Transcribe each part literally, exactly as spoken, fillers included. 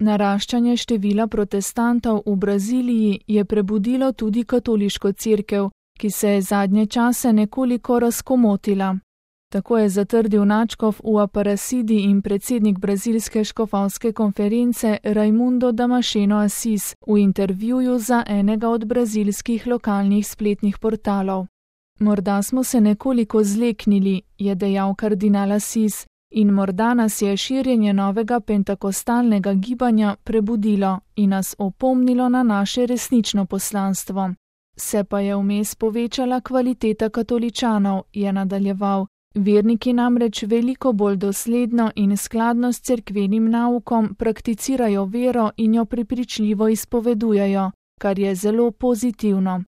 Naraščanje števila protestantov v Braziliji je prebudilo tudi katoliško cerkev, ki se je zadnje čase nekoliko razkomotila. Tako je zatrdil nadškof v Aparecidi in predsednik brazilske škofovske konference Raimundo Damasceno Assis v intervjuju za enega od brazilskih lokalnih spletnih portalov. Morda smo se nekoliko zleknili, je dejal kardinal Assis, in morda nas je širjenje novega pentakostalnega gibanja prebudilo in nas opomnilo na naše resnično poslanstvo. Se pa je vmes povečala kvaliteta katoličanov, je nadaljeval. Verniki namreč veliko bolj dosledno in skladno s cerkvenim naukom prakticirajo vero in jo prepričljivo izpovedujejo, kar je zelo pozitivno.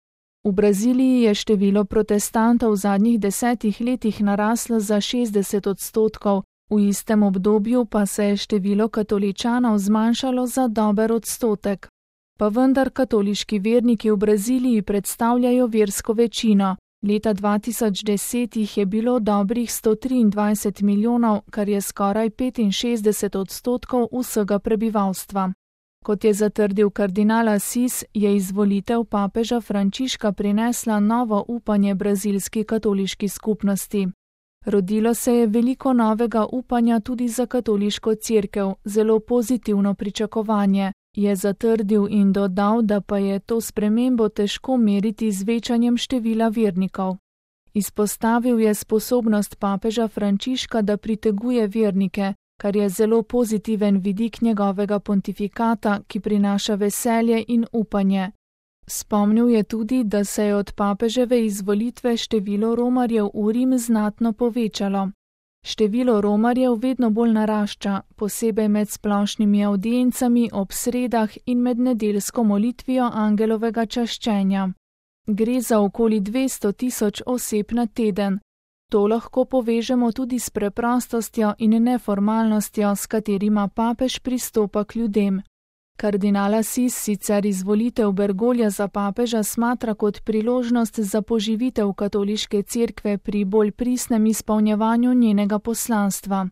V Braziliji je število protestantov v zadnjih desetih letih naraslo za šestdeset odstotkov, v istem obdobju pa se je število katoličanov zmanjšalo za dober odstotek. Pa vendar katoliški verniki v Braziliji predstavljajo versko večino. Leta dva tisoč deset jih je bilo dobrih sto triindvajset milijonov, kar je skoraj petinšestdeset odstotkov vsega prebivalstva. Kot je zatrdil kardinal Assis, je izvolitev papeža Frančiška prinesla novo upanje brazilski katoliški skupnosti. Rodilo se je veliko novega upanja tudi za katoliško cerkev, zelo pozitivno pričakovanje, je zatrdil in dodal, da pa je to spremembo težko meriti z večanjem števila vernikov. Izpostavil je sposobnost papeža Frančiška, da priteguje vernike, kar je zelo pozitiven vidik njegovega pontifikata, ki prinaša veselje in upanje. Spomnil je tudi, da se je od papeževe izvolitve število romarjev v Rim znatno povečalo. Število romarjev vedno bolj narašča, posebej med splošnimi avdiencami ob sredah in med nedeljsko molitvijo angelovega čaščenja. Gre za okoli dvesto tisoč oseb na teden. To lahko povežemo tudi s preprostostjo in neformalnostjo, s katerima papež pristopa k ljudem. Kardinal Assis sicer izvolitev Bergoglia za papeža smatra kot priložnost za poživitev katoliške cerkve pri bolj pristnem izpolnjevanju njenega poslanstva.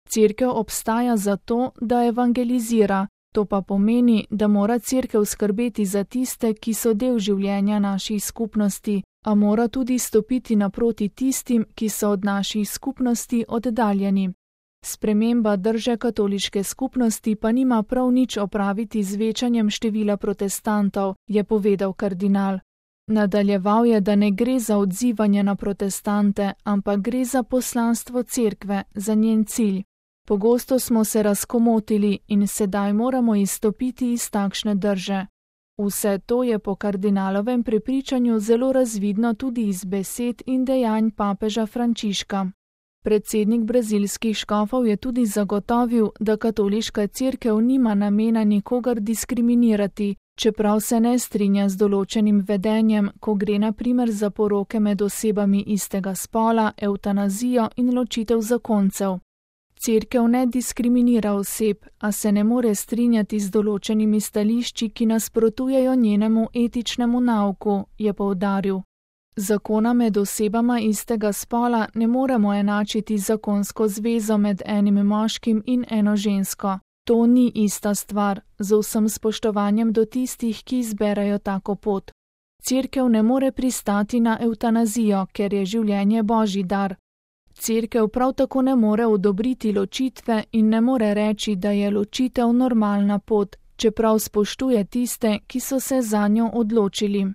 Cerkev obstaja zato, da evangelizira, to pa pomeni, da mora cerkev skrbeti za tiste, ki so del življenja naših skupnosti, a mora tudi stopiti naproti tistim, ki so od naših skupnosti oddaljeni. Sprememba drže katoliške skupnosti pa nima prav nič opraviti z večanjem števila protestantov, je povedal kardinal. Nadaljeval je, da ne gre za odzivanje na protestante, ampak gre za poslanstvo cerkve, za njen cilj. Pogosto smo se razkomotili in sedaj moramo izstopiti iz takšne drže. Vse to je po kardinalovem prepričanju zelo razvidno tudi iz besed in dejanj papeža Frančiška. Predsednik brazilskih škofov je tudi zagotovil, da katoliška cerkev nima namena nikogar diskriminirati, čeprav se ne strinja z določenim vedenjem, ko gre na primer za poroke med osebami istega spola, evtanazijo in ločitev zakoncev. Cerkev ne diskriminira oseb, a se ne more strinjati z določenimi stališči, ki nasprotujejo njenemu etičnemu nauku, je poudaril. Zakona med osebama istega spola ne moremo enačiti zakonsko zvezo med enim moškim in eno žensko. To ni ista stvar, z vsem spoštovanjem do tistih, ki izberajo tako pot. Cerkev ne more pristati na evtanazijo, ker je življenje božji dar. Cerkev prav tako ne more odobriti ločitve in ne more reči, da je ločitev normalna pot, čeprav spoštuje tiste, ki so se zanjo odločili.